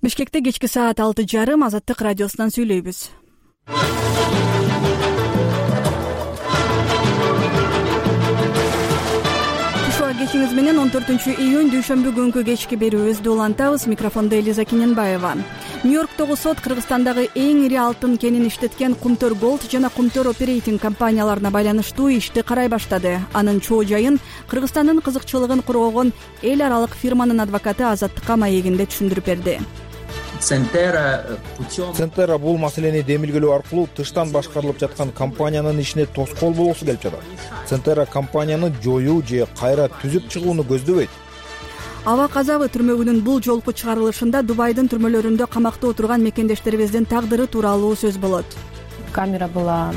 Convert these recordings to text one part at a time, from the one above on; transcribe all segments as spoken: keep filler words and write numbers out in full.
Бишкекте кечки саат алты жарым Азаттык радиосунан сүйлөйбүз. Ушуга кечиңиз менен он төртүнчү июнь дүйшөмбү күнкү кечки берүүбүздү улантабыз. Микрофондо Элиза Кененбаева. Нью-Йорктогу сот Кыргызстандагы эң ири алтын кенин иштеткен Кумтөр Голд жана Кумтөр Оперейтинг компанияларына байланыштуу ишти карай баштады. Анын чоо жайын Кыргызстандын кызыкчылыгын коргогон эл аралык фирманын адвокаты Азаттыкка маегинде түшүндүрүп берди. Центера бул маселени демилгелөө аркылуу тыштан башкарылып жаткан компаниянын ишине тоскоол болгусу келип жатат. Центера компанияны жоюу же кайра түзүп чыгууну көздөбөйт. Аба казабы түрмөгүнүн бул жолку чыгарылышында Дубайдын түрмөлөрүндө камакта отурган мекендештерибиздин тагдыры тууралуу сөз болот. Камера была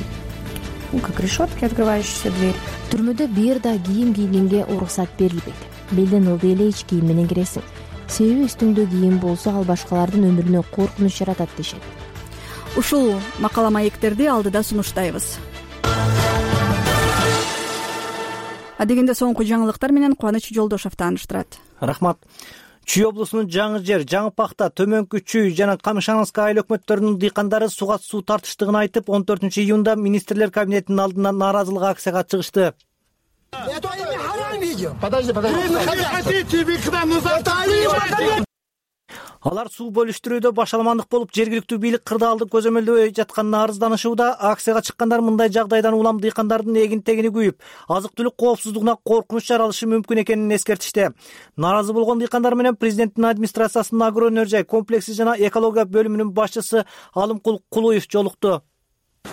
как решетки, открывающаяся дверь. Түрмөдө бир да кийим кийгенге уруксат берилбейт. Белден ылдый эле ич кийим менен киресиң. Себеби үстүңдө кийим болсо ал башкалардын өмүрүнө коркунуч жаратат дешет. Ушул макала маектерди алдыда сунуштайбыз. Адегенде соңку жаңылыктар менен Кубаныч Жолдошов тааныштырат. Рахмат. Чүй облусунун Жаңы Жер, Жаңы Пахта, Төмөнкү Чүй жана Камышановский айыл өкмөттөрүнүн дыйкандары суга суу тартыштыгын айтып, он төртүнчү июнда министрлер кабинетинин алдына нааразылык акцияга чыгышты. Подожди, подожди. Алар суу бөлүштүрүүдө башаламандык болуп, жергиликтүү бийлик кырдаалды көзөмөлдөбөй жатканына арызданышууда. Акцияга чыккандар мындай жагдайдан улам дыйкандардын эгин-тегини күйүп, азык-түлүк коопсуздугуна коркунуч жаралышы мүмкүн экенин эскертишти. Нааразы болгон дыйкандар менен президенттин администрациясынын агро өнөр жай комплекси жана экология бөлүмүнүн башчысы Алымкул Кулуев жолукту.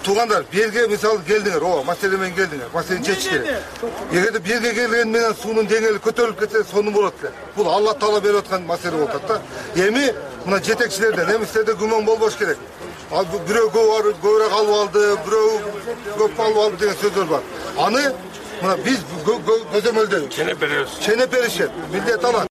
Туугандар, берге мисалы келдиңер, ооба, маселе менен келдиңер, маселени чечиш керек. Эгерде берге келген менен суунун деңгээли көтөрүлүп кетсе, сону болот эле. Бул Алла Таала берип аткан маселе болуп атат да. Эми мына жетекчилерден, эмистерде күмөн болбош керек. Ал бирөө көбүрөөк алып алды, бирөө көп алып алды деген сөздөр бар. Аны мына биз көзөмөлдөйбүз. Ченеп беребиз. Ченеп беришет. Милдет алат.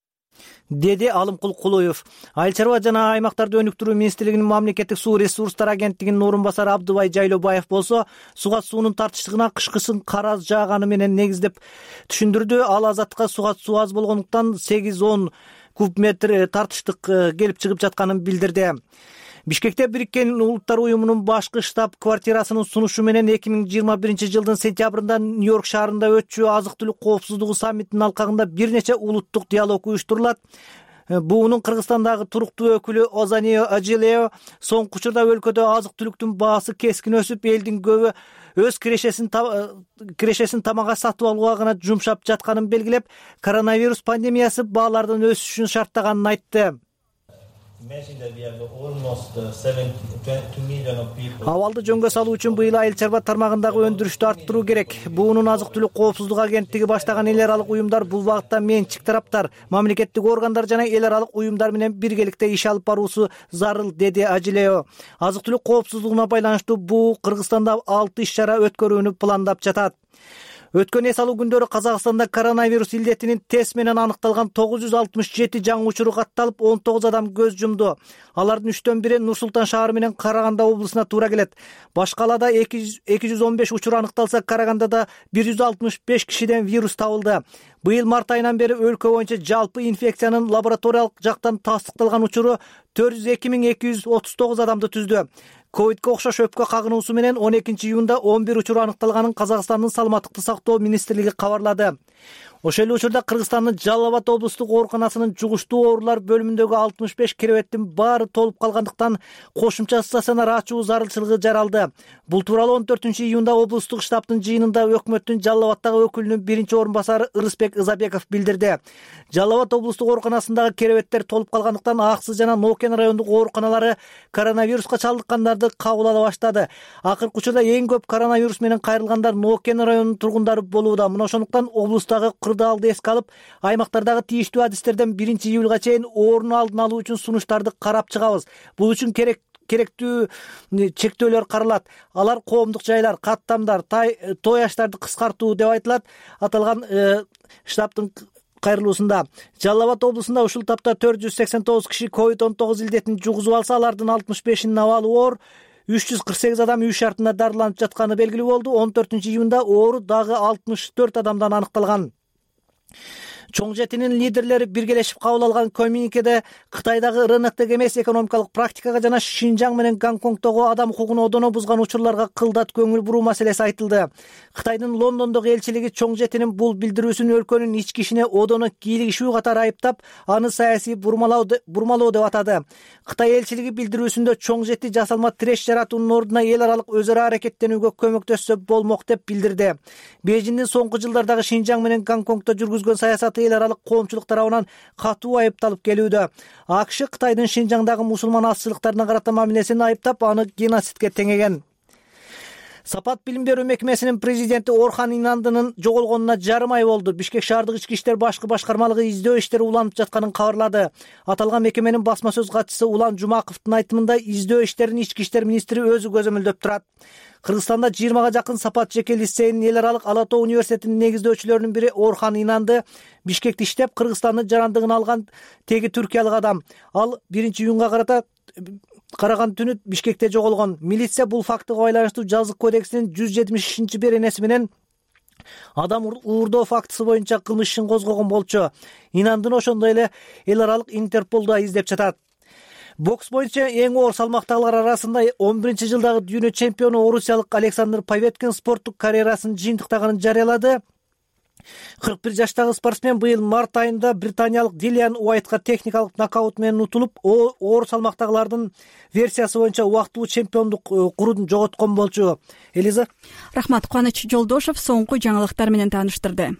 Деди Алымкул Кулуев. Айыл чарба жана аймактарды өнүктүрүү министрлигинин мамлекеттик суу ресурстары агенттигинин орун басары Абдыбай Жайлообаев болсо, суга суунун тартыштыгына кышкысын кара жааганы менен негиздеп түшүндүрдү. Ал Азаттыкка суга суу аз болгондуктан сегиз он куб метр тартыштык келип чыгып жатканын билдирди. Бишкекте Бириккен Улуттар уюмунун башкы штаб-квартирасынын сунушу менен эки миң жыйырма биринчи жылдын сентябрында Нью-Йорк шаарында өтчү азык-түлүк коопсуздугу саммитинин алкагында бир нече улуттук диалог уюштурулат. Буунун Кыргызстандагы туруктуу өкүлү Озанио Ажилео соңку учурда өлкөдө азык-түлүктүн баасы кескин өсүп, элдин көбү өз кирешесин кирешесин тамакка сатып алууга гана жумшап жатканын белгилеп, коронавирус пандемиясы баалардын өсүшүн шарттаганын айтты. Абалды жөнгө салуу үчүн быйыл айыл чарба тармагындагы өндүрүштү арттыруу керек. Буунун азык-түлүк коопсуздук агенттиги баштаган эл аралык уюмдар бул багытта менчик тараптар, мамлекеттик органдар жана эл аралык уюмдар менен биргеликте иш алып баруусу зарыл, деди Ажилео. Азык-түлүк коопсуздугуна байланыштуу буу Кыргызстанда алты иш-чара өткөрүүнү пландап жатат. Өткөн эс алуу күндөрү Казакстанда коронавирус илдетинин тест менен аныкталган тогуз жүз алтымыш жети жаңы учуру катталып, он тогуз адам көз жумду. Алардын үчтөн бири Нур Султан шаары менен Караганда облусуна туура келет. Башкалада эки жүз он беш учур аныкталса, Карагандада бир жүз алтымыш беш кишиден вирус табылды. Быйыл март айынан бери өлкө боюнча жалпы инфекциянын лабораториялык жактан тастыкталган учуру төрт жүз эки миң эки жүз отуз тогуз адамды түздү. ковидке окшош өпкө кагынуусу менен он экинчи июнда он бир учур аныкталганын Казакстандын саламаттыкты сактоо министрлиги кабарлады. Ошол эле учурда Кыргызстандын Жалал Абад облустук ооруканасынын жугуштуу оорулар бөлүмүндөгү алтымыш беш керебеттин баары толуп калгандыктан кошумча стационар ачуу зарылчылыгы жаралды. Бул тууралуу он төртүнчү июнда облустук штабтын жыйынында өкмөттүн Жалал Абаддагы өкүлүнүн биринчи орун басары Ырысбек Ызабеков билдирди. Жалал Абад облустук ооруканасындагы керебеттер толуп калгандыктан Аксы жана Нокен райондук ооруканалары коронавируска чалдыккандарды кабыл ала баштады. Акыркы учурда эң көп коронавирус менен кайрылгандар Нокен районунун тургундары болууда. Мына ошондуктан облустагы кырдаалды эске алып, аймактардагы тийиштүү адистерден биринчи июлга чейин оорунун алдын алуу үчүн сунуштарды карап чыгабыз. Бул үчүн керек керектүү чектөөлөр каралат. Алар коомдук жайлар, каттамдар, той аштарды кыскартуу деп айтылат. Аталган штабтын кайрылуусунда Жалал Абад облусунда ушул тапта төрт жүз сексен тогуз киши ковид он тогуз илдетин жугузуп алса, алардын алтымыш бешинин абалы оор, үч жүз кырк сегиз адам үй шартында дарыланып жатканы белгилүү болду. он төртүнчү июнда оору дагы алтымыш төрт адамдан аныкталган. Чоң жетинин лидерлери биргелешип кабыл алган коммюникеде Кытайдагы рыноктук эмес экономикалык практикага жана Шинжаң менен Гонконгдогу адам укугун одоно бузган учурларга кылдат көңүл буруу маселеси айтылды. Кытайдын Лондондогу элчилиги Чоң жетинин бул билдирүүсүн өлкөнүн ички ишине одоно кийлигишүү катары айыптап, аны саясий бурмалоо деп атады. Кытай элчилиги билдирүүсүндө Чоң жети жасалма тиреш жаратуунун ордуна эл аралык өз ара аракеттенүүгө көмөктөшсө болмок деп билдирди. Бейжиңдин соңку жылдардагы Шинжаң менен Гонконгдо жүргүзгөн саясаты эл аралык коомчулук тарабынан катуу айыпталып келүүдө. АКШ Кытайдын Шинжаңдагы мусулман азчылыктарына карата мамилесин айыптап, аны геноцидке теңеген. Сапат билим берүү мекемесинин президенти Орхан Инандынын жоголгонуна жарым ай болду. Бишкек шаардык ички иштер башкы башкармалыгы издөө иштери уланып жатканын кабарлады. Аталган мекеменин басма сөз катчысы Улан Жумаковдун айтымында издөө иштерин ички иштер министри өзү көзөмөлдөп турат. Кыргызстанда жыйырмага жакын Сапат жеке лицейинин эл аралык Ала Тоо университетинин негиздөөчүлөрүнүн бири Орхан Инанды Бишкекте иштеп, Кыргызстандын жарандыгын алган теги түркиялык адам. Ал биринчи июнга карата караган түнү Бишкекте жоголгон. Милиция бул фактыга байланыштуу жазык кодексинин жүз жетимишинчи беренеси менен адам уурдоо фактысы боюнча кылмыш ишин козгогон болчу. Инандын ошондой эле эл аралык Интерполдо издеп жатат. Бокс боюнча эң оор салмактагылар арасында он биринчи жылдагы дүйнө чемпиону орусиялык Александр Поветкин спорттук карьерасын жыйынтыктаганын жарыялады. кырк бир жаштагы спортсмен быйыл март айында британиялык Дилиан Уайтка техникалык нокаут менен утулуп, оор салмактагылардын версиясы боюнча убактылуу чемпиондук курун жоготкон болчу. Элиза. Рахмат. Кубаныч Жолдошев соңку жаңылыктар менен тааныштырды.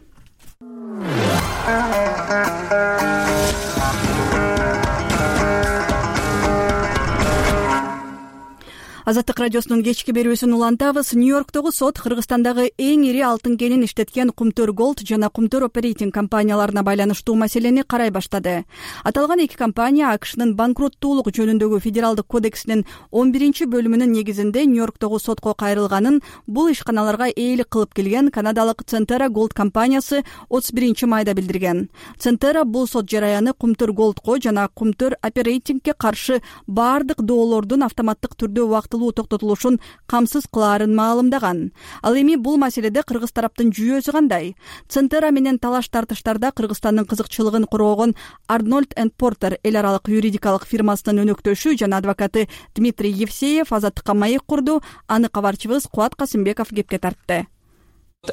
Азаттык радиосунун кечки берүүсүн улантабыз. Нью-Йорктогу сот Кыргызстандагы эң ири алтын кенин иштеткен Кумтөр Голд жана Кумтөр Оперейтинг компанияларына байланыштуу маселени карай баштады. Аталган эки компания АКШнын банкроттуулук жөнүндөгү федералдык кодексинин он биринчи бөлүмүнүн негизинде Нью-Йорктогу сотко кайрылганын, бул ишканаларга ээлик кылып келген канадалык Centerra Gold компаниясы отуз биринчи майда билдирген. Centerra бул сот жараяны Кумтөр Голдко жана Кумтөр Оперейтингке каршы бардык доолордун автоматтык түрдө убакыт токтотулушун камсыз кылаарын маалымдаган. Ал эми бул маселеде кыргыз тараптын жүйөөсү кандай? Centerra менен талаш тартыштарда Кыргызстандын кызыкчылыгын коргогон Арнольд энд Портер эл аралык юридикалык фирмасынын өнөктөшү жана адвокаты Дмитрий Евсеев Азаттыкка маек курду. Аны кабарчыбыз Кубат Касымбеков кепке тартты.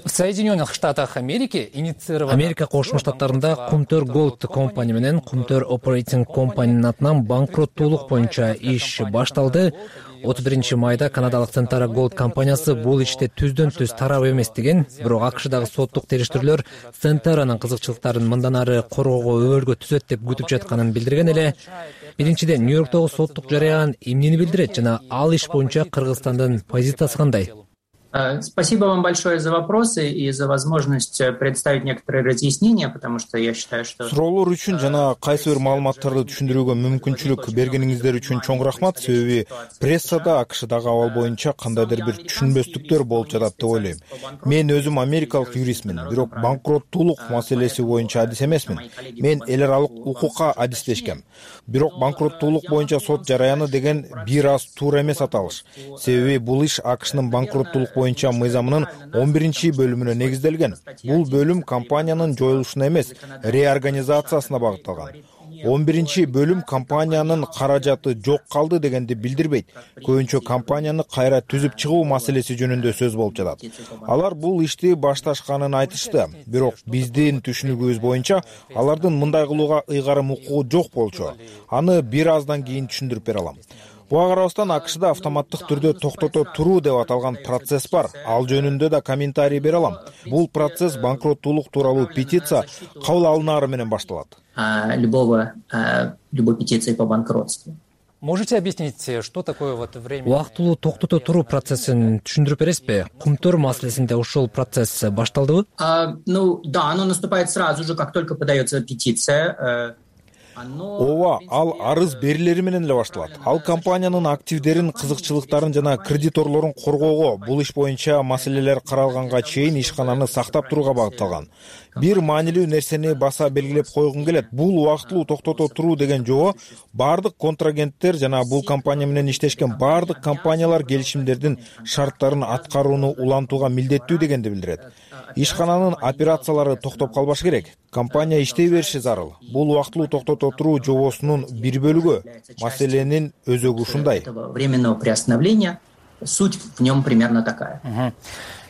В Соединенных Штатах Америки инициирована Америка Кошмо Штаттарында Кумтөр Голд компания менен Кумтөр Оперейтинг компаниянын атынан банкроттуулук боюнча иш башталды. отуз биринчи майда канадалык Centerra Gold компаниясы бул иште түздөн түз тарап эмес деген, бирок АКШдагы соттук териштирүүлөр Centerra'нын кызыкчылыктарын мындан ары коргоого өбөлгө түзөт деп күтүп жатканын билдирген эле. Биринчиден, Нью-Йорктогу соттук жарыян эмнени билдирет жана ал иш боюнча Кыргызстандын позициясы кандай? Спасибо вам большое за вопросы и за возможность представить некоторые разъяснения, потому что я считаю, что... Суроолор үчүн жана кайсы бир маалыматтарды түшүндүрүүгө мүмкүнчүлүк бергениңиздер үчүн чоң рахмат. Себеби прессада АКШдагы абал боюнча кандайдыр бир түшүнбөстүктөр болуп жатат деп ойлойм. Мен өзүм америкалык юристмин, бирок банкроттуулук маселеси боюнча адис эмесмин. Мен эл аралык укукка адистешкем. Бирок банкроттуулук боюнча сот жараяны деген бир аз туура эмес аталыш. Себеби бул иш АКШнын банкроттуулук боюнча мыйзамынын он биринчи бөлүмүнө негизделген. Бул бөлүм компаниянын жоюлушуна эмес, реорганизациясына багытталган. он биринчи бөлүм компаниянын каражаты жок калды дегенди билдирбейт. Көбүнчө компанияны кайра түзүп чыгуу маселеси жөнүндө сөз болуп жатат. Алар бул ишти башташканын айтышты. Бирок биздин түшүнүгүбүз боюнча алардын мындай кылууга ыйгарым укугу жок болчу. Аны бир аздан кийин түшүндүрүп бере алам. Буга карабастан АКШда автоматтык түрдө токтото туруу деп аталган процесс бар. Ал жөнүндө да комментарий бере алам. Бул процесс банкроттуулук тууралуу петиция кабыл алынаары менен башталат. Любого, любой петиции по банкротству. Можете объяснить, что такое вот время? Убактылуу токтото туруу процессин түшүндүрүп бересизби? Кумтөр маселесинде ушул процесс башталдыбы? Ну да, оно наступает сразу же, как только подается петиция. Ооба, ал арыз берилери менен эле башталат. Ал компаниянын активдерин, кызыкчылыктарын жана кредиторлорун коргоого, бул иш боюнча маселелер каралганга чейин ишкананы сактап турууга багытталган. Бир маанилүү нерсени баса белгилеп койгум келет. Бул убактылуу токтото туруу деген жобо бардык контрагенттер жана бул компания менен иштешкен бардык компаниялар келишимдердин шарттарын аткарууну улантууга милдеттүү дегенди билдирет. ишкананын операциялары токтоп калбашы керек. Компания иштей бериши зарыл. Бул убактылуу токтото туруу жобосунун бир бөлүгү. Маселенин өзөгү ушундай. Временного приостановления суть в нем примерно такая.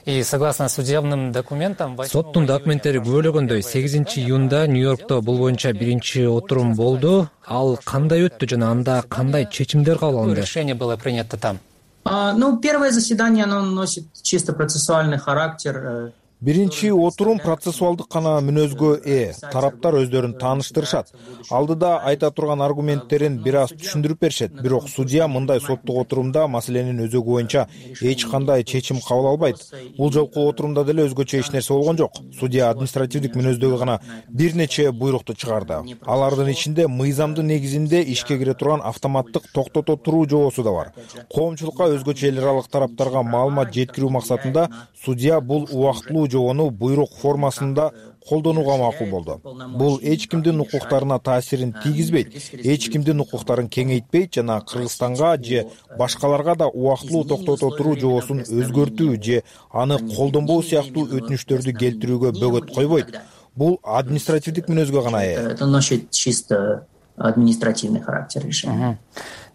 И согласно судебным документам, соттун документтери күбөлөгөндөй сегизинчи июнда Нью-Йоркто бул боюнча биринчи отурум болду. Ал кандай өттү жана анда кандай чечимдер кабыл алынды? Решение было принято там. Ну, первое заседание, оно носит чисто процессуальный характер. Биринчи отурум процессуалдык гана мүнөзгө ээ. Тараптар өздөрүн тааныштырышат. Алдыда айта турган аргументтерин бир аз түшүндүрүп беришет. Бирок судья мындай соттук отурумда маселенин өзөгү боюнча эч кандай чечим кабыл албайт. Бул жолку отурумда деле өзгөчө эч нерсе болгон жок. Судья административдик мүнөздөгү гана бир нече буйрукту чыгарды. Алардын ичинде мыйзамдын негизинде ишке кире турган автоматтык токтото туруу жобосу да бар. Коомчулукка өзгөчө эл аралык тараптарга маалымат жеткирүү максатында судья бул убактылуу жобону буйрук формасында колдонууга макул болду. Бул эч кимдин укуктарына таасирин тийгизбейт, эч кимдин укуктарын кеңейтпейт жана Кыргызстанга же башкаларга да убактылуу токтото туруу жобосун өзгөртүү же аны колдонбоо сыяктуу өтүнүчтөрдү келтирүүгө бөгөт койбойт. Бул административдик мүнөзгө гана ээ. Это носит чисто административный характер решения.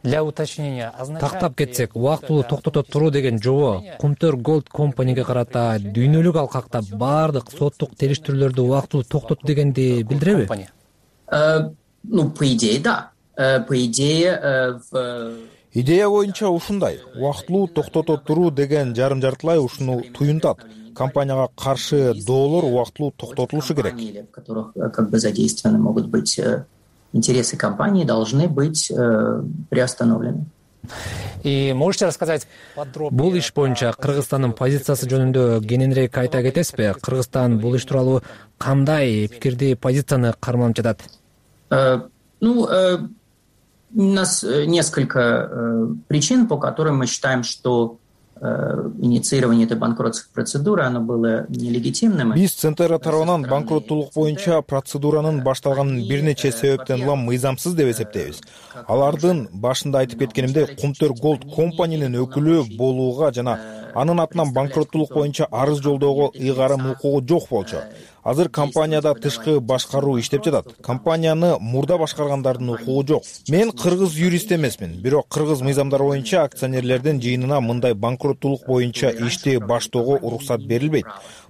Для уточнения, тактап кетсек, убактылуу токтото туруу деген жобо Кумтөр Голд компанияга карата дүйнөлүк алкакта баардык соттук териштирүүлөрдү убактылуу токтоту дегенди билдиреби? Ну, по идее, да. По идее, идея боюнча ушундай. Убактылуу токтото туруу деген жарым-жартылай ушуну туюнтат. Компанияга каршы доолор убактылуу токтотулушу керек. В которых как бы задействованы могут быть интересы компании, должны быть э, приостановлены. И можете рассказать подробнее? Бул иш боюнча Кыргызстандын позициясы жөнүндө кененирээк айта кетесизби? Кыргызстан бул иш тууралуу кандай пикирди, позицияны карманып жатат? Э, ну, э, у нас несколько э, причин, по которым мы считаем, что инициирование этой банкротской процедуры, оно было нелегитимным. Биз Центера тарабынан банкроттуулук боюнча процедуранын башталганын бир нече себептен улам мыйзамсыз деп эсептейбиз. Алардын башында айтып кеткенимдей, Кумтөр Голд компаниянын өкүлү болууга жана анын атынан банкроттуулук боюнча арыз жолдоого ыйгарым укугу жок болчу. Азыр компанияда тышкы башкаруу иштеп жатат. Компанияны мурда башкаргандардын укугу жок. Мен кыргыз юрист эмесмин, бирок кыргыз мыйзамдары боюнча акционерлердин жыйынына мындай банкроттуулук боюнча ишти баштоого уруксат берилбейт.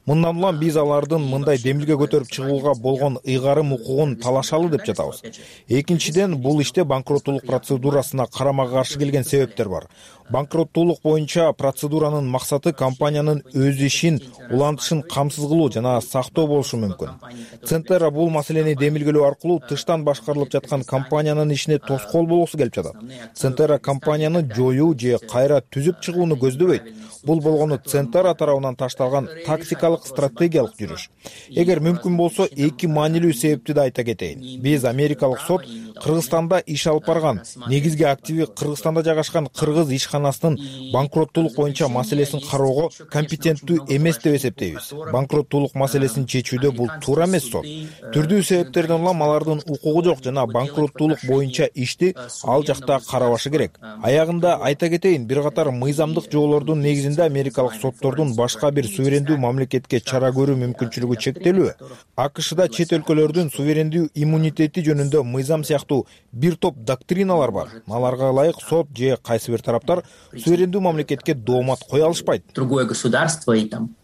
Мындан улам биз алардын мындай демилге көтөрүп чыгууга болгон ыйгарым укугун талашалы деп жатабыз. Экинчиден, бул иште банкроттуулук процедурасына карама каршы келген себептер бар. Банкроттуулук боюнча процедуранын максаты компаниянын өз ишин, улантышын камсыз кылуу жана сактоо болушу мүмкүн. Центера бул маселени демилгелөө аркылуу тыштан башкарылып жаткан компаниянын ишине тоскоол болгусу келип жатат. Центера компанияны жоюу же кайра түзүп чыгууну көздөбөйт. Бул болгону Центера тарабынан ташталган тактикалык стратегиялык жүрүш. Эгер мүмкүн болсо, эки маанилүү себепти да айта кетейин. Биз америкалык сот Кыргызстанда иш алып барган, негизги активи Кыргызстанда жайгашкан кыргыз ишканасынын банкроттуулук боюнча маселесин кароого компетенттүү эмес деп эсептейбиз. Банкроттуулук маселесин чечүүдө бул туура эмес сот. Түрдүү себептерден улам алардын укугу жок жана банкроттуулук боюнча ишти ал жакта карабашы керек. Аягында айта кетейин, бир катар мыйзамдык жоболордун негизинде америкалык соттордун башка бир суверендүү мамлекетке чара көрүү мүмкүнчүлүгү чектелүү. АКШда чет өлкөлөрдүн суверендүү иммунитети жөнүндө мыйзам сыяктуу бир топ доктриналар бар. Аларга ылайык сот же кайсы бир тараптар суверендүү мамлекетке доомат кое алышпайт. Другое государство и там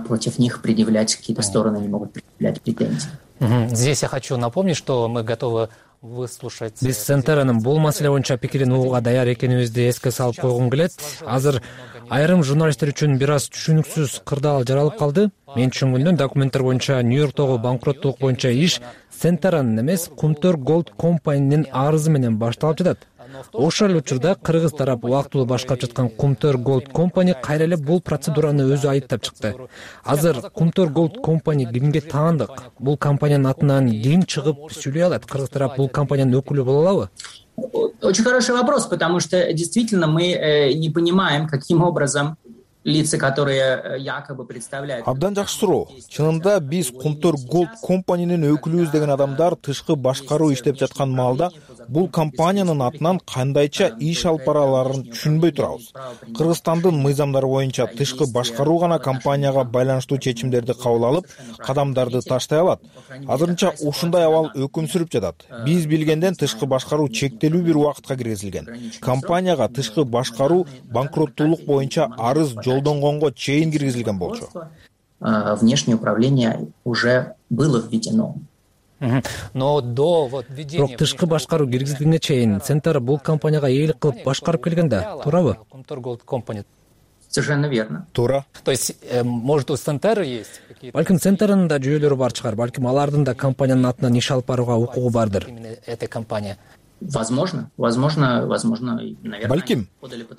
против них предъявлять какие-то стороны не могут предъявлять претензии. Здесь я хочу напомнить, что мы готовы выслушать. Биз Центеранын бул маселе боюнча пикирин угууга даяр экенибизди эске салып койгум келет. Азыр айрым журналисттер үчүн бир аз түшүнүксүз кырдаал жаралып калды. Мен түшүнгөндөн документтер боюнча Нью-Йорктогу банкроттуулук боюнча иш Центеранын эмес, Кумтөр Голд компаниянын арызы менен башталып жатат. Ошол эле учурда кыргыз тарап убактылуу башкарып жаткан Кумтөр Голд компания кайра эле бул процедураны өзү айыптап чыкты. Азыр Кумтөр Голд компания кимге таандык? Бул компаниянын атынан ким чыгып сүйлөй алат? Кыргыз тарап бул компаниянын өкүлү боло алабы? Очень хороший вопрос, потому что действительно мы э, не понимаем, каким образом лица, которые якобы представляют... Абдан жакшы суроо. Чынында биз Кумтөр Голд компаниянын өкүлүбүз деген адамдар тышкы башкаруу иштеп жаткан маалда бул компаниянын атынан кандайча иш алып бараларын түшүнбөй турабыз. Кыргызстандын мыйзамдары боюнча тышкы башкаруу гана компанияга байланыштуу чечимдерди кабыл алып, кадамдарды таштай алат. Азырынча ушундай абал өкүм сүрүп жатат. Биз билгенден тышкы башкаруу чектелүү бир убакытка киргизилген. Компанияга тышкы башкаруу банкроттуулук боюнча арыз жолдонгонго чейин киргизилген болчу. Внешнее управление уже было введено. Но до вот введения... Бирок тышкы башкаруу киргизилгенге чейин Центр бул компанияга ээлик кылып башкарып келген да, туурабы? Кумтөр Голд компания. Совершенно верно. Туура. То есть, может, у Центра есть какие-то... Балким Центрдин да жүйөлөрү бар чыгар, балким алардын да компаниянын атынан иш алып барууга укугу бардыр. Именно эта компания. Возможно, возможно, возможно, наверное. Балким,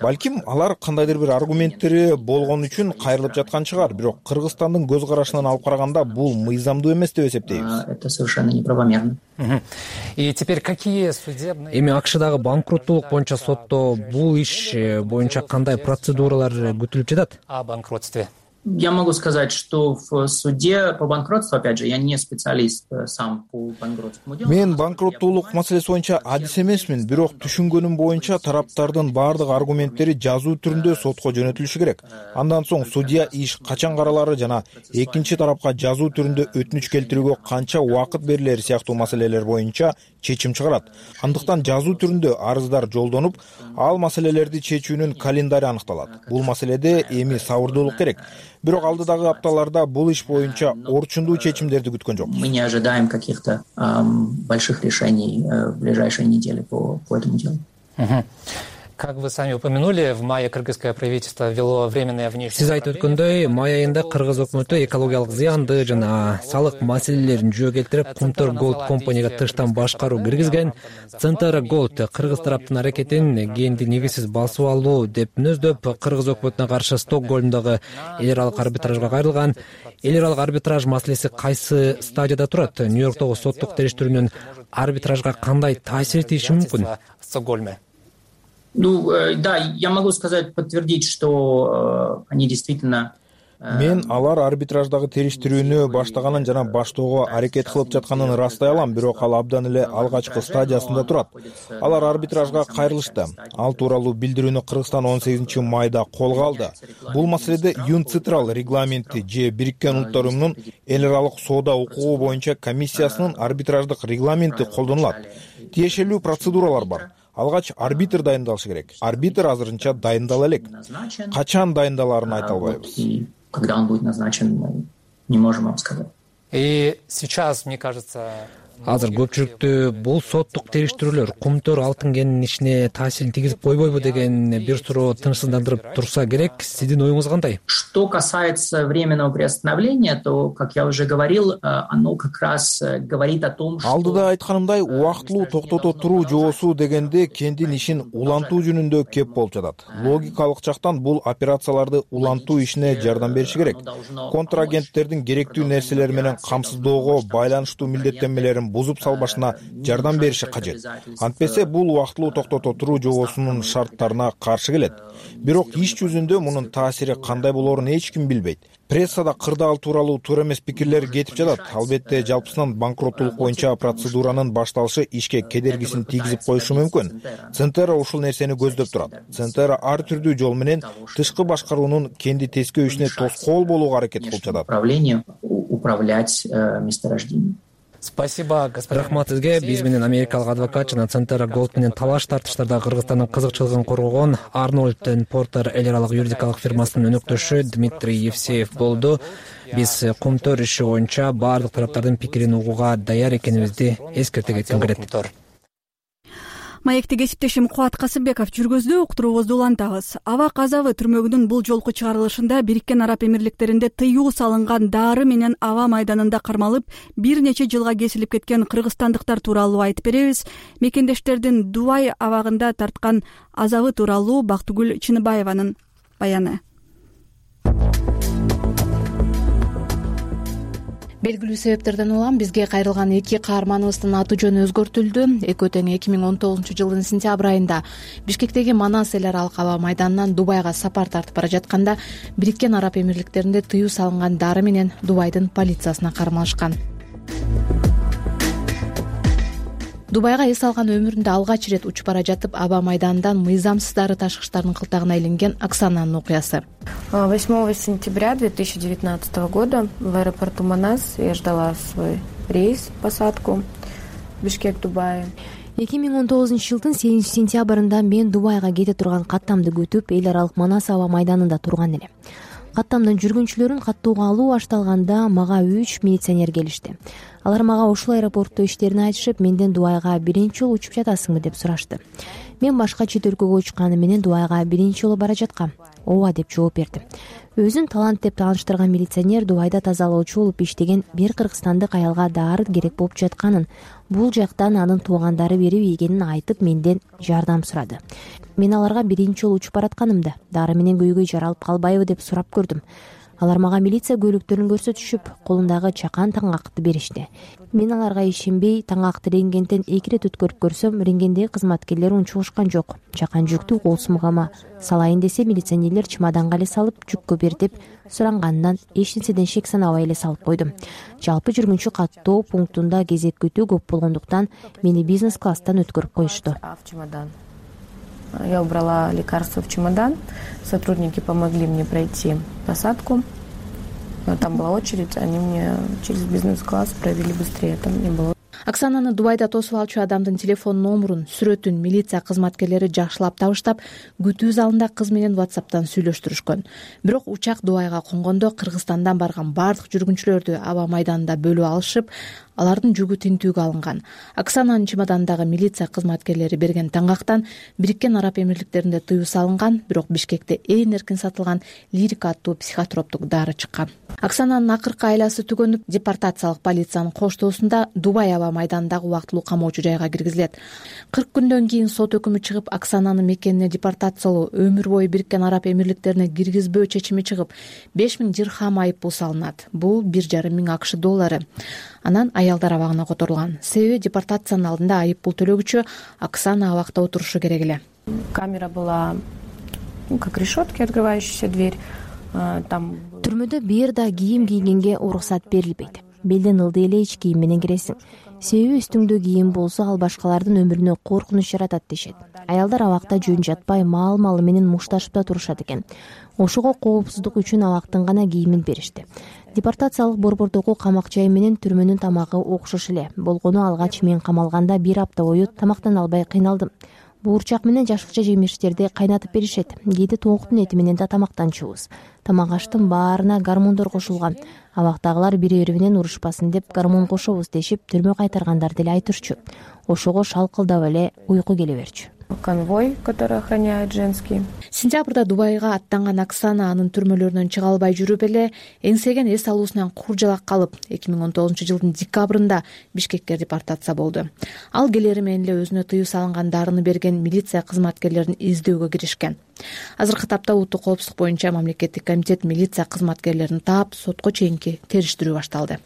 балким алар кандайдыр бир аргументтери болгон үчүн кайрылып жаткан чыгар, бирок Кыргызстандын көз карашынан алып караганда бул мыйзамдуу эмес деп эсептейбиз. Это совершенно неправомерно. И теперь какие судебные... Эми АКШдагы банкроттуулук боюнча сотто бул иш боюнча кандай процедуралар күтүлүп жатат? О банкротстве. Я могу сказать, что в суде по банкротству, опять же, я не специалист сам по банкротскому делу. Мен банкроттуулук маселеси боюнча адис эмесмин, бирок түшүнгөнүм боюнча тараптардын баардык аргументтери жазуу түрүндө сотко жөнөтүлүшү керек. Андан соң судья иш качан каралары жана экинчи тарапка жазуу түрүндө өтүнүч келтирүүгө канча убакыт берилери сыяктуу маселелер боюнча чечим чыгарат. Андыктан жазуу түрүндө арыздар жолдонуп, ал маселелерди чечүүнүн календари аныкталат. Бул маселеде эми сабырдуулук керек. Бирок алдыдагы апталарда бул иш боюнча орчундуу чечимдерди күткөн жокпуз. Мы не ожидаем каких-то эм, больших решений э, в ближайшие недели по, по этому делу. Угу. Как вы сами упомянули, в мае кыргызское правительство ввело временное внешнее... Сиз айтып өткөндөй, май айында Кыргыз өкмөтү экологиялык зыянды жана салык маселелерин жөө келтирип, Кумтөр Голд компанияга тыштан башкаруу киргизген. Центр Голд Кыргыз тараптын аракетин кээинди негизсиз басып алуу деп мүнөздөп, Кыргыз өкмөтүнө каршы Стокгольмдогу эл аралык арбитражга кайрылган. Эл аралык арбитраж маселеси кайсы стадияда турат? Нью-Йорктогу соттук териштирүүнүн арбитражга кандай таасир этиши мүмкүн? В Стокгольме. Ну, э, да, я могу сказать, подтвердить, что э, они действительно... Мен алар арбитраждагы териштирүүнү баштаганын жана баштоого аракет кылып жатканын растай алам, бирок ал абдан эле алгачкы стадиясында турат. Алар арбитражга кайрылышты. Ал тууралуу билдирүүнү Кыргызстан он сегизинчи майда колго алды. Бул маселеде Юнцитрал регламенти же Бириккен Улуттар Уюмунун эл аралык соода укугу боюнча комиссиясынын арбитраждык регламенти колдонулат. Тиешелүү процедуралар бар. Алгач арбитр дайындалышы керек. Арбитр азырынча дайындала элек. Качан дайындаларын айта албайбыз. Когда он будет назначен, не можем вам сказать. И сейчас, мне кажется... Азыр көпчүлүктү бул соттук териштирүүлөр Кумтөр алтын кенинин ишине таасирин тийгизип койбойбу деген бир суроо тынчсыздандырып турса керек. Сиздин оюңуз кандай? Что касается временного приостановления, то, как я уже говорил, оно как раз говорит о том, что... Алдыда айтканымдай, убактылуу токтото туруу жоосу дегенде кендин ишин улантуу жөнүндө кеп болуп жатат. Логикалык жактан бул операцияларды улантуу ишине жардам бериши керек. Контрагенттердин керектүү нерселери менен камсыздоого байланыштуу милдеттенмелерин бузуп салбашына жардам бериши кажет. Антпесе бул убактылуу токтото туруу жоосунун шарттарына каршы келет. Бирок иш жүзүндө мунун таасири кандай болоорун эч ким билбейт. Прессада кырдаал тууралуу туура эмес пикирлер кетип жатат. Албетте, жалпысынан банкроттуулук боюнча процедуранын башталышы ишке кедергисин тийгизип коюшу мүмкүн. Центр ушул нерсени көздөп турат. Центр ар түрдүү жол менен тышкы башкаруунун кенди тескөөүшүнө тоскоол болууга аракет кылып жатат. Управление управлять месторождением. Спасибо, господин. Рахмат сизге. Биз менен америкалык адвокат жана Центр Голд менен талаш тартыштарда Кыргызстандын кызыкчылыгын коргогон Арнольд энд Портер эл аралык юридикалык фирмасынын өнөктөшү Дмитрий Евсеев болду. Биз Кумтөр иши боюнча баардык тараптардын пикирин угууга даяр экенибизди эскерте кетким келет. Маекти кесиптешим Кубат Касымбеков жүргөздү, уктуруубузду улантабыз. Аба казабы түрмөгүнүн бул жолку чыгарылышында Бириккен Араб Эмирликтеринде тыюу салынган дары менен аба майданында кармалып, бир нече жылга кесилип кеткен кыргызстандыктар тууралуу айтып беребиз. Мекендештердин Дубай абагында тарткан азабы тууралуу Бактыгүл Чыныбаеванын баяны. Белгилүү себептерден улам бизге кайрылган эки каарманыбыздын аты жөнү өзгөртүлдү. Экөө тең эки миң он тогузунчу жылдын сентябрь айында Бишкектеги Манас эл аралык аба майданынан Дубайга сапар тартып бара жатканда Бириккен Араб Эмирликтеринде тыюу салынган дары менен Дубайдын полициясына кармалышкан. Дубайга эс алган өмүрүндө алгач ирет учуп бара жатып аба майданынан мыйзамсыз дары ташкычтардын кылтагына илинген Оксананын окуясы. восьмого сентября две тысячи девятнадцатого года в аэропорту Манас я ждала свой рейс, посадку в Бишкек, Дубай. эки миң он тогузунчу жылдын сегизинчи сентябрында мен Дубайга кете турган каттамды күтүп эл аралык Манас аба майданында турган элем. Каттамдын жүргүнчүлөрүн каттууга алуу башталганда мага үч милиционер келишти. Алар мага ушул аэропортто иштерин айтышып, менден Дубайга биринчи жолу учуп жатасыңбы деп сурашты. Мен башка чет өлкөгө учканым менен Дубайга биринчи жолу бара жаткам. Ооба деп жооп бердим. Өзүн талант деп тааныштырган милиционер Дубайда тазалоочу болуп иштеген бир кыргызстандык аялга дары керек болуп жатканын, бул жактан анын туугандары берип ийгенин айтып менден жардам сурады. Мен аларга биринчи жолу учуп баратканымда дары менен көйгөй жаралып калбайбы деп сурап көрдүм. Алар мага милиция көйлөктөрүн көрсөтүшүп, колундагы чакан таңакты беришти. Мен аларга ишенбей, таңакты рентгенден эки ирет өткөрүп көрсөм, рентгендеги кызматкерлер унчугушкан жок. Чакан жүктү кол сумгама салайын десе, милиционерлер чемоданга эле салып, жүккө бер деп суранганынан эч нерседен шек санабай эле салып койдум. Жалпы жүргүнчү каттоо пунктунда кезек күтүү көп болгондуктан мени бизнес класстан өткөрүп коюшту. Я убрала лекарства в чемодан, сотрудники помогли мне пройти посадку. Там была очередь, они мне через бизнес-класс провели быстрее, там не было. Оксананы Дубайда тосуп алчу адамдын телефон номурун, сүрөтүн милиция кызматкерлери жакшылап табыштап, күтүү залында кыз менен WhatsApp'тан сүйлөштүрүшкөн. Бирок учак Дубайга конгондо Кыргызстандан барган бардык жүргүнчүлөрдү аба майданында бөлүп алышып, алардын жүгү тинтүүгө алынган. Оксананын чемодандагы милиция кызматкерлери берген таңактан Бириккен Араб Эмирликтеринде тыюу салынган, бирок Бишкекте эң эркин сатылган Лирика аттуу психотроптук дары чыккан. Оксананын акыркы айласы түгөнүп, депортациялык полициянын коштоосунда Дубай аба майданындагы убактылуу камоочу жайга киргизилет. кырк күндөн кийин сот өкүмү чыгып, Оксананы мекенине депортациялоо, өмүр бою Бириккен Араб Эмирликтерине киргизбөө чечими чыгып, беш миң дирхам айып пул салынат. Бул бир жарым миң акш доллары. Анан аялдар абагына которулган. Себеби депортациянын алдында айып пул төлөгүчү Оксана абакта отурушу керек эле. Камера была как решетки, открывающаяся дверь. Там Түрмөдө бир да кийим кийгенге уруксат берилбейт. Белден ылдый эле ич кийим менен киресиң. Себеби үстүңдө кийим болсо ал башкалардын өмүрүнө коркунуч жаратат дешет. Аялдар абакта жөн жатпай маал-малы менен мушташып да турушат экен. Ошого коопсуздук үчүн абактын гана кийимин беришти. Депортациялык борбордогу камак жай менен түрмөнүн тамагы окшош эле. Болгону алгач мен камалганда бир апта бою тамактан албай кыйналдым. Буурчак менен жашыкча жемиштерди кайнатып беришет. Кээде тооктун эти менен да тамактанчубуз. Тамак аштын баарына гормондор кошулган. Абактагылар бири-бири менен урушпасын деп гормон кошобуз дешип, түрмө кайтаргандарды эле айтырчу. Ошого шалкылдап эле уйку келе берчү. Конвой, который охраняет женский. Сентябрда Дубайга аттанган Оксана анын түрмөлөрүнөн чыга албай жүрүп эле эңсеген эс алуусунан куржалак калып, эки миң он тогузунчу жылдын декабрында Бишкекке депортация болду. Ал келери менен эле өзүнө тыюу салынган дарыны берген милиция кызматкерлерин издөөгө киришкен. Азыркы тапта улуттук коопсуздук боюнча мамлекеттик комитет милиция кызматкерлерин таап, сотко чейинки териштирүү башталды.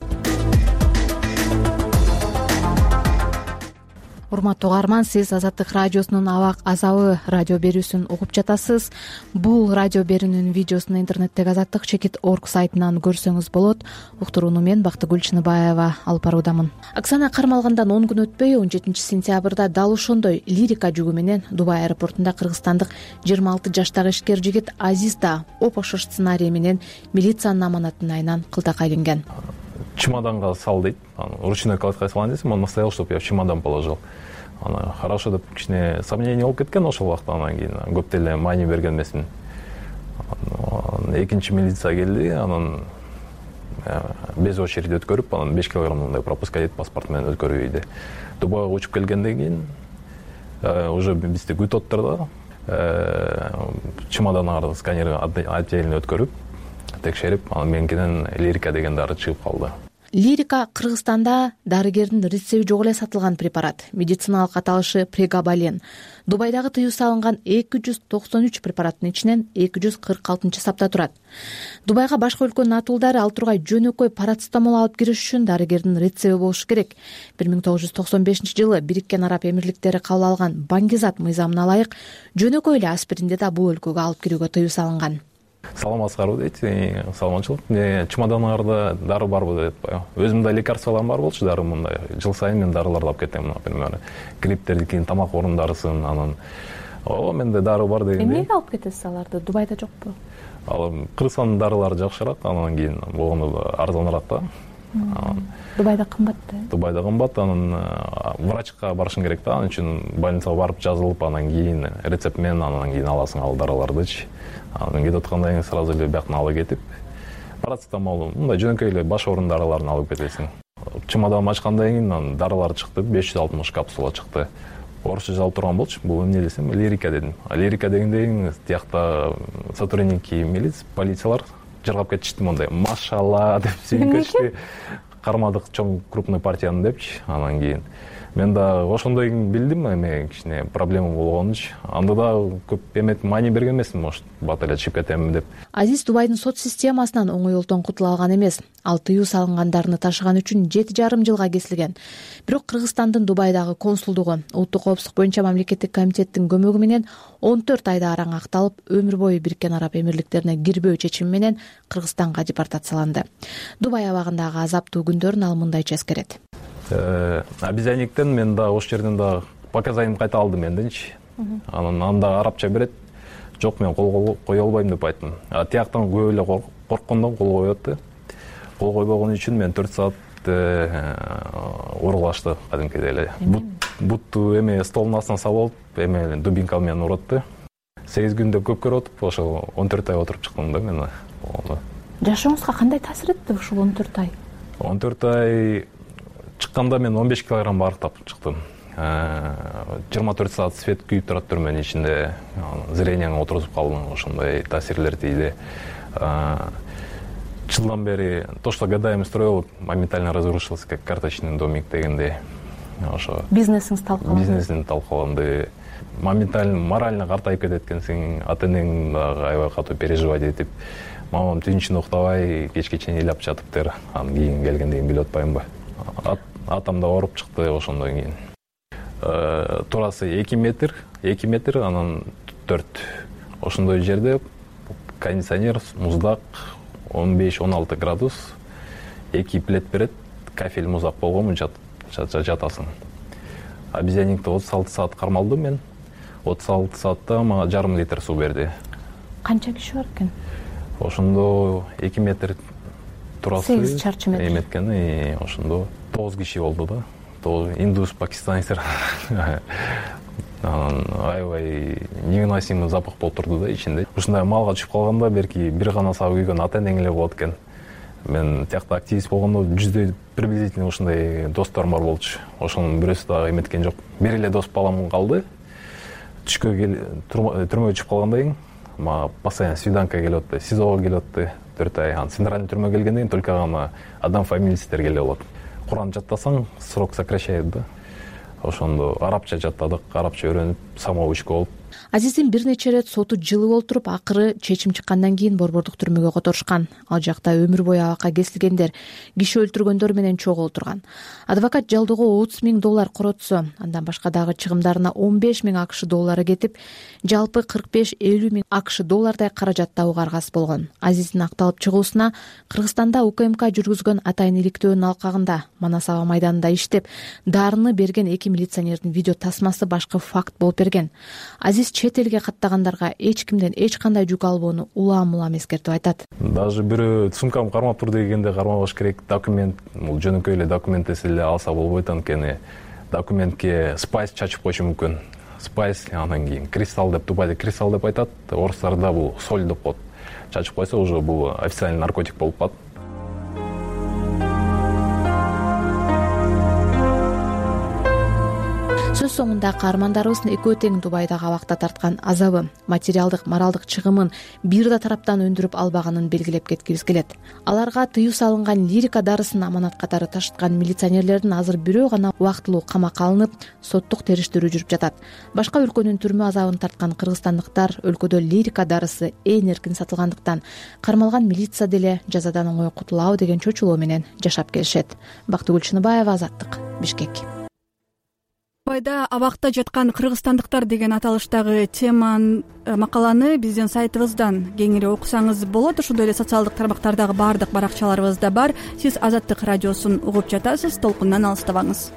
Урматтуу угарман, сиз Азаттык радиосунун Абак азабы радио берүүсүн угуп жатасыз. Бул радио берүүнүн видеосун интернеттеги азаттык чекит точка орг сайтынан көрсөңүз болот. Уктурууну мен Бактыгүл Чыныбаева алып баруудамын. Оксана кармалгандан он күн өтпөй он жетинчи сентябрда дал ошондой Лирика жүгү менен Дубай аэропортунда кыргызстандык жыйырма алты жаштагы ишкер жигит Азиз да оп ошол сценарий менен милициянын аманатын айынан кылтакка илинген. Чемоданга сал дейт. Ручной кладкай салайын десем, он настоял, чтобы я в чемодан положил. Ана хорошо деп кичине сомнение болуп кеткен ошол убакта. Анан кийин көп деле маани берген эмесмин. Экинчи милиция келди, анан без очередь өткөрүп, анан беш килограммдай пропуска дейт, паспорт менен өткөрүп ийди. Дубайга учуп келгенден кийин уже бизди күтүп отурду. Чемоданга сканер отдельно өткөрүп, текшерип, анан меникинен Лирика деген дары чыгып калды. Лирика Кыргызстанда дарыгердин рецепти жок эле сатылган препарат. Медициналык аталышы прегабален. Дубайдагы тыюу салынган эки жүз токсон үч препараттын ичинен эки жүз кырк алтынчы сапта турат. Дубайга башка өлкөнүн атуулдары ал тургай жөнөкөй парацетамол алып кириш үчүн дарыгердин рецепти болушу керек. бир миң тогуз жүз токсон бешинчи жылы Бириккен Араб Эмирликтери кабыл алган Баңгизат мыйзамына ылайык жөнөкөй эле аспиринди да бул өлкөгө алып кирүүгө тыюу салынган. Саламатсыздарбы дейт, саламатчылык. Чемоданыңарда дары барбы дейт. Өзүм да лекарстволорум бар болчу, дары мындай. Жыл сайын мен дарыларды алып кетем, например. Грипптерди кийин тамак орундарысын, анан о, менде дары бар дегенде. Эмнеге алып кетесиз аларды? Дубайда жокпу? Ал Кыргызстандын дарылары жакшыраак, анан кийин болгондо арзаныраак да. Дубайда кымбат да? Дубайда кымбат, анан врачка барышың керек да, анын үчүн больницага барып жазылып, анан кийин рецепт менен анан кийин аласың ал дарылардычы. Анан кетип аткандан кийин сразу эле бияктан алып кетип, парацетамол, мындай жөнөкөй эле баш оорун дарыларын алып кетесиң. Чемоданымды ачкандан кийин анан дарылар чыкты, беш жүз алтымыш капсула чыкты. Орусча жазылып турган болчу, бул эмне десем, лирика дедим. Лирика дегенде тиякта сотрудники милиция, полициялар жыргап кетишти мондай. Машалла деп сүйүнүштү. Кармадык чоң крупный партияны депчи, анан кийин мен да ошондой билдим, эме кичине проблема болгонучу. Анда да көп эмет маани берген эмесмин, может, бат эле чыгып кетемин деп. Азиз Дубайдын сот системасынан оңойлуктан кутула алган эмес. Ал тыюу салынгандарны ташыган үчүн жети жарым жылга кесилген. Бирок Кыргызстандын Дубайдагы консулдугу улуттук коопсуздук боюнча мамлекеттик комитеттин көмөгү менен он төрт айда араң акталып, өмүр бою Бириккен Араб Эмирликтерине кирбөө чечими менен Кыргызстанга депортацияланды. Дубай абагындагы азаптуу күндөрүн ал мындайча эскерет. Обезьянниктен мен да ошол жерден да показанием кайта алдым энденчи. Анан анда арабча берет. Жок, мен кол кое албайм деп айттым. А тияктан көп эле корккондон кол коет да. Кол койбогон үчүн мен төрт саат уруулашты кадимкидей эле. Бутту эме столдун астына салып алып, эме дубинка менен уратты. сегиз күндө көп көрүп отуп, ошо он төрт ай отуруп чыктым да мен. Жашооңузга кандай таасир этти ушул он төрт ай? он төрт ай чыкканда мен он беш килограмм барктап чыктым. жыйырма төрт саат свет күйүп турат түрмөнүн ичинде. Зрениеңе отурузуп калдың, ошондой таасирлер тийди. Жылдан бери то, что годами строил, моментально разрушился, как карточный домик дегендей. Ошо бизнесиңиз талкаланды. Бизнесин талкаланды. Моментально морально картайып кетет экенсиң, ата-энең дагы аябай катуу переживать этип, мамам түнүнчүн уктабай кечке чейин ыйлап жатыптыр. Анан кийин келгенден билип атпаймынбы. Атам да ооруп чыкты ошондон кийин. Турасы эки метр, эки метр, анан төрт. Ошондой жерде кондиционер, муздак, он беш он алты градус, эки плед берет, кафель муздак болгонмун, жатасың. Обезьянникте отуз алты саат кармалдым мен. отуз алты саатта мага жарым литр суу берди. Канча киши бар экен? Ошондо эки метр турасы, сегиз чарчы метр эметкен, и ошондо тогуз киши болду да. Индус, пакистанецтер. Анан аябай невыносимый запах болуп турду да ичинде. Ушундай малга түшүп калганда берки бир гана сабы күйгөн ата-энең эле болот экен. Мен тиякта активист болгондо жүздөй приблизительно ушундай досторум бар болчу. Ошонун бирөөсү дагы эметкен жок. Бир эле дос балам калды. Түшкө түрмөгө түшүп калгандан кийин мага постоянно свиданка келип атты, СИЗОго келип атты төрт ай. Анан центральный түрмөгө келгенден кийин только гана адам фамилиялар келе болот. Куран жаттасаң, срок сокращает да. Ошондо арабча жаттадык, арабча өйрөнүп, самоучка болуп. Азиздин бир нече ирет соту жылып олтуруп, акыры чечим чыккандан кийин борбордук түрмөгө которушкан. Ал жакта өмүр бою абакка кесилгендер, киши өлтүргөндөр менен чогуу турган. Адвокат жалдоого отуз миң доллар коротсо, андан башка дагы чыгымдарына он беш миң акш доллары кетип, жалпы кырк беш элүү миң акш доллардай каражат табууга аргасыз болгон. Азиздин акталып чыгуусуна Кыргызстанда УКМК жүргүзгөн атайын иликтөөнүн алкагында Манас аба майданында иштеп, дарыны берген эки милиционердин видео тасмасы башкы факт болуп берген. Азиз чет элге каттагандарга эч кимден эч кандай жүк албоону улам-улам эскертип айтат. Даже бирөө сумкам кармап тур дегенде кармабаш керек, документ, бул жөнөкөй эле документ эле алса болбойт, анткени документке спайс чачып койушу мүмкүн. Спайс, анан кийин кристалл деп, Дубайда кристалл деп айтат, орустарда бул соль деп коет. Чачып койсо уже бул официальный наркотик болуп калат. Сөз соңунда айында каармандарыбыздын экөө тең Дубайдагы абакта тарткан азабы, материалдык, моралдык чыгымын бир да тараптан өндүрүп албаганын белгилеп кеткибиз келет. Аларга тыюу салынган лирика дарысын аманат катары ташыткан милиционерлердин азыр бирөө гана убактылуу камакка алынып, соттук териштирүү жүрүп жатат. Башка өлкөнүн түрмө азабын тарткан кыргызстандыктар өлкөдө лирика дарысы ээн эркин сатылгандыктан кармалган милиция деле жазадан оңой кутулабы деген чочулоо менен жашап келишет. Бактыгүл Чыныбаева, Азаттык, Бишкек. Дубайда абакта жаткан кыргызстандыктар деген аталыштагы тема макаланы биздин сайтыбыздан кеңири окусаңыз болот. Ошондой эле социалдык тармактардагы баардык баракчаларыбызда бар. Сиз Азаттык радиосун угуп жатасыз. Толкундан алыстабаңыз.